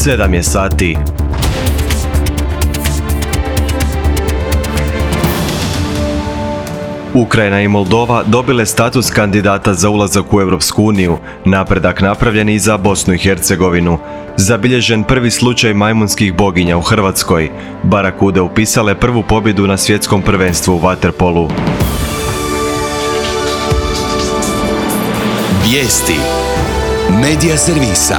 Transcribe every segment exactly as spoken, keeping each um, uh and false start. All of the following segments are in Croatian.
sedam je sati. Ukrajina i Moldova dobile status kandidata za ulazak u Europsku uniju, napredak napravljen i za Bosnu i Hercegovinu. Zabilježen prvi slučaj majmunskih boginja u Hrvatskoj. Barakude upisale prvu pobjedu na svjetskom prvenstvu u vaterpolu. Vijesti Medija servisa.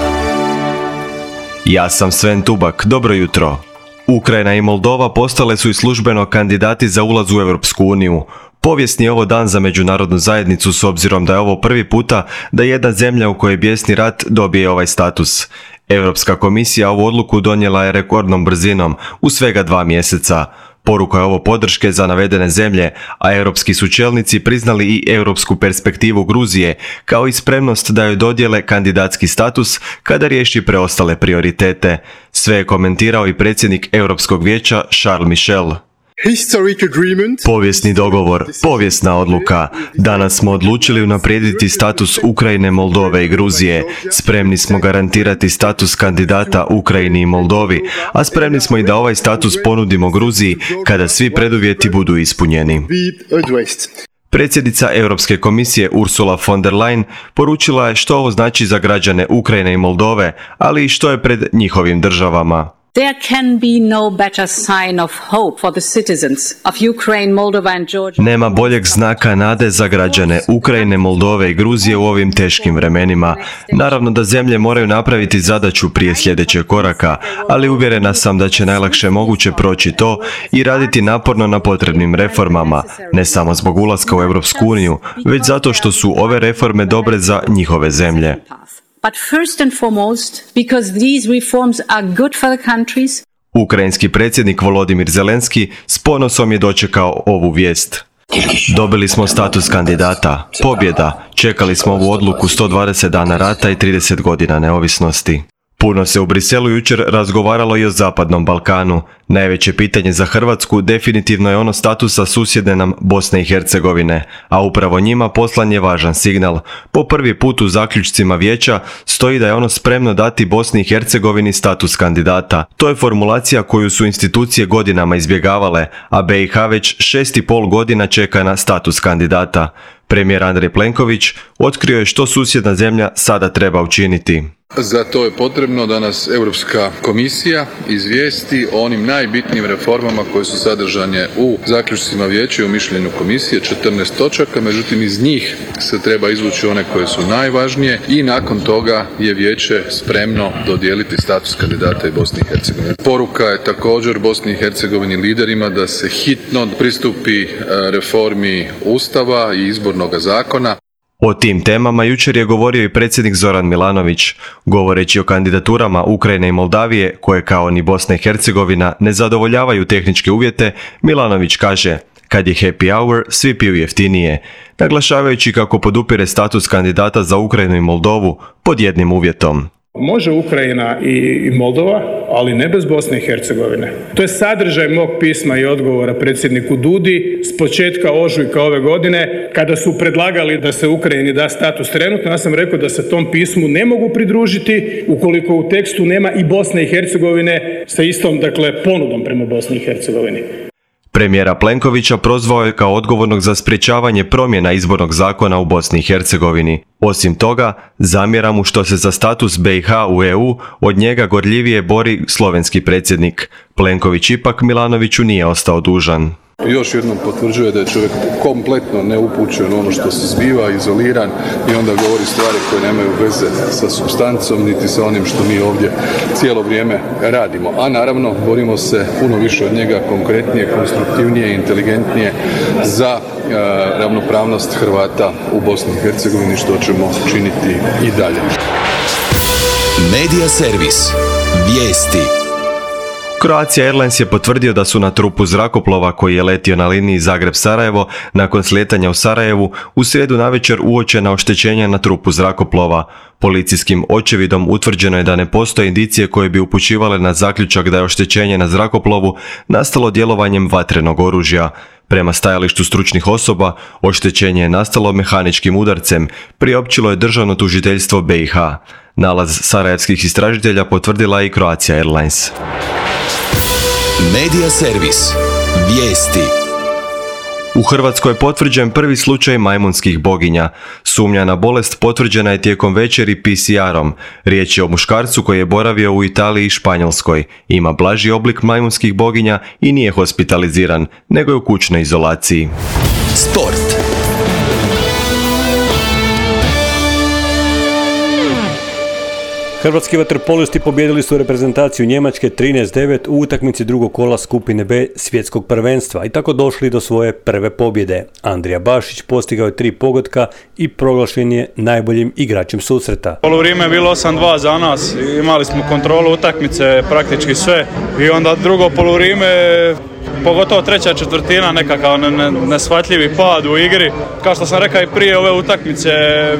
Ja sam Sven Tubak, dobro jutro. Ukrajina i Moldova postale su i službeno kandidati za ulaz u Europsku uniju. Povijesni je ovo dan za međunarodnu zajednicu s obzirom da je ovo prvi puta da jedna zemlja u kojoj je bijesni rat dobije ovaj status. Europska komisija ovu odluku donijela je rekordnom brzinom, u svega dva mjeseca. Poruka je ovo podrške za navedene zemlje, a europski su čelnici priznali i europsku perspektivu Gruzije, kao i spremnost da joj dodijele kandidatski status kada riješi preostale prioritete. Sve je komentirao i predsjednik Europskog vijeća Charles Michel. Povijesni dogovor, povijesna odluka. Danas smo odlučili unaprijediti status Ukrajine, Moldove i Gruzije. Spremni smo garantirati status kandidata Ukrajini i Moldovi, a spremni smo i da ovaj status ponudimo Gruziji kada svi preduvjeti budu ispunjeni. Predsjednica Europske komisije Ursula von der Leyen poručila je što ovo znači za građane Ukrajine i Moldove, ali i što je pred njihovim državama. There can be no better sign of hope for the citizens of Ukraine, Moldova and Georgia. Nema boljeg znaka nade za građane Ukrajine, Moldove i Gruzije u ovim teškim vremenima. Naravno da zemlje moraju napraviti zadaću prije sljedećeg koraka, ali uvjerena sam da će najlakše moguće proći to i raditi naporno na potrebnim reformama, ne samo zbog ulaska u Europsku uniju, već zato što su ove reforme dobre za njihove zemlje. But first and foremost, because these reforms are good for the countries. Ukrajinski predsjednik Volodimir Zelenski s ponosom je dočekao ovu vijest. Dobili smo status kandidata, pobjeda, čekali smo ovu odluku sto dvadeset dana rata i trideset godina neovisnosti. Puno se u Briselu jučer razgovaralo i o Zapadnom Balkanu. Najveće pitanje za Hrvatsku definitivno je ono statusa susjedne nam Bosne i Hercegovine, a upravo njima poslan je važan signal. Po prvi put u zaključcima vijeća stoji da je ono spremno dati Bosni i Hercegovini status kandidata. To je formulacija koju su institucije godinama izbjegavale, a B i H već šest i pol godina čeka na status kandidata. Premijer Andrej Plenković otkrio je što susjedna zemlja sada treba učiniti. Za to je potrebno da nas Europska komisija izvijesti o onim najbitnijim reformama koje su sadržane u zaključcima vijeća i u mišljenju komisije, četrnaest točaka, međutim iz njih se treba izvući one koje su najvažnije i nakon toga je vijeće spremno dodijeliti status kandidata i Bosni i Hercegovini. Poruka je također Bosni i Hercegovini liderima da se hitno pristupi reformi Ustava i izbornog zakona. O tim temama jučer je govorio i predsjednik Zoran Milanović. Govoreći o kandidaturama Ukrajine i Moldavije, koje kao ni Bosna i Hercegovina ne zadovoljavaju tehničke uvjete, Milanović kaže: kad je happy hour, svi piju jeftinije, naglašavajući kako podupire status kandidata za Ukrajinu i Moldovu pod jednim uvjetom. Može Ukrajina i Moldova, ali ne bez Bosne i Hercegovine. To je sadržaj mog pisma i odgovora predsjedniku Dudi s početka ožujka ove godine, kada su predlagali da se Ukrajini da status trenutno. Ja sam rekao da se tom pismu ne mogu pridružiti ukoliko u tekstu nema i Bosne i Hercegovine sa istom, dakle, ponudom prema Bosni i Hercegovini. Premijera Plenkovića prozvao je kao odgovornog za sprječavanje promjena izbornog zakona u Bosni i Hercegovini. Osim toga, zamjera mu što se za status B i H u E U od njega gorljivije bori slovenski predsjednik. Plenković ipak Milanoviću nije ostao dužan. Još jednom potvrđuje da je čovjek kompletno neupućen ono što se zbiva, izoliran i onda govori stvari koje nemaju veze sa supstancom niti sa onim što mi ovdje cijelo vrijeme radimo. A naravno borimo se puno više od njega, konkretnije, konstruktivnije, inteligentnije za e, ravnopravnost Hrvata u Bosni i Hercegovini, što ćemo činiti i dalje. Medija servis. Vijesti. Croatia Airlines je potvrdio da su na trupu zrakoplova koji je letio na liniji Zagreb-Sarajevo nakon slijetanja u Sarajevu u srijedu navečer uočena oštećenja na trupu zrakoplova. Policijskim očevidom utvrđeno je da ne postoje indicije koje bi upućivale na zaključak da je oštećenje na zrakoplovu nastalo djelovanjem vatrenog oružja. Prema stajalištu stručnih osoba, oštećenje je nastalo mehaničkim udarcem, priopćilo je državno tužiteljstvo B i H. Nalaz sarajevskih istražitelja potvrdila je i Croatia Airlines. Medija servis. Vijesti. U Hrvatskoj je potvrđen prvi slučaj majmunskih boginja. Sumnja na bolest potvrđena je tijekom večeri P C R-om. Riječ je o muškarcu koji je boravio u Italiji i Španjolskoj. Ima blaži oblik majmunskih boginja i nije hospitaliziran, nego je u kućnoj izolaciji. Sport. Hrvatski vaterpolisti pobijedili su reprezentaciju Njemačke trinaest devet u utakmici drugog kola skupine B svjetskog prvenstva i tako došli do svoje prve pobjede. Andrija Bašić postigao je tri pogotka i proglašen je najboljim igračem susreta. Poluvrijeme je bilo osam dva za nas, imali smo kontrolu utakmice, praktički sve, i onda drugo poluvrijeme, pogotovo treća četvrtina, nekakav neshvatljivi pad u igri. Kao što sam rekao i prije ove utakmice,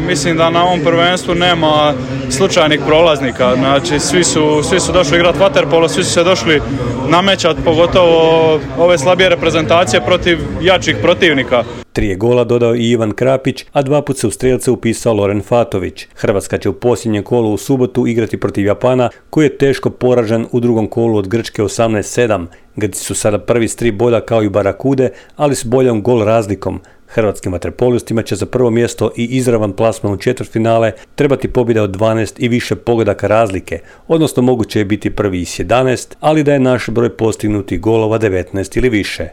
mislim da na ovom prvenstvu nema slučajnih prolaznika. Znači, svi su, svi su došli igrati vaterpolo, svi su se došli namećati, pogotovo ove slabije reprezentacije protiv jačih protivnika. Tri je gola dodao i Ivan Krapić, a dva put se u strelce upisao Loren Fatović. Hrvatska će u posljednjem kolu u subotu igrati protiv Japana, koji je teško poražen u drugom kolu od Grčke osamnaest sedam. Grci su sada prvi s tri boda kao i Barakude, ali s boljom gol razlikom. Hrvatskim vaterpolistima će za prvo mjesto i izravan plasman u četvrtfinale trebati pobjeda od dvanaest i više pogodaka razlike, odnosno moguće je biti prvi s jedanaest, ali da je naš broj postignutih golova devetnaest ili više.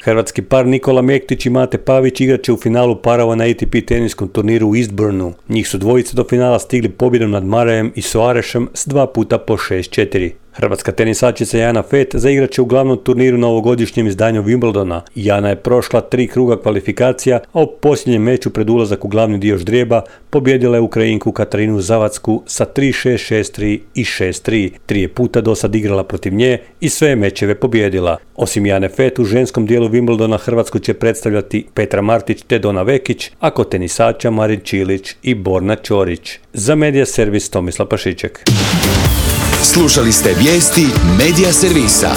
Hrvatski par Nikola Mektić i Mate Pavić igrat će u finalu parova na A T P teniskom turniru u Eastbournu. Njih su dvojice do finala stigli pobjedom nad Marajem i Soarešem s dva puta po šest četiri. Hrvatska tenisačica Jana Fett zaigrat će u glavnom turniru na ovogodišnjem izdanju Wimbledona. Jana je prošla tri kruga kvalifikacija, a u posljednjem meču pred ulazak u glavni dio ždrijeba pobjedila je Ukrajinku Katarinu Zavacku sa tri šest, šest tri i šest tri. Tri je puta do sad igrala protiv nje i sve mečeve pobjedila. Osim Jane Fett, u ženskom dijelu Wimbledona Hrvatsku će predstavljati Petra Martić te Dona Vekić, a kod tenisača Marin Čilić i Borna Ćorić. Za Medija servis Tomislav Pašiček. Slušali ste vijesti Medija servisa.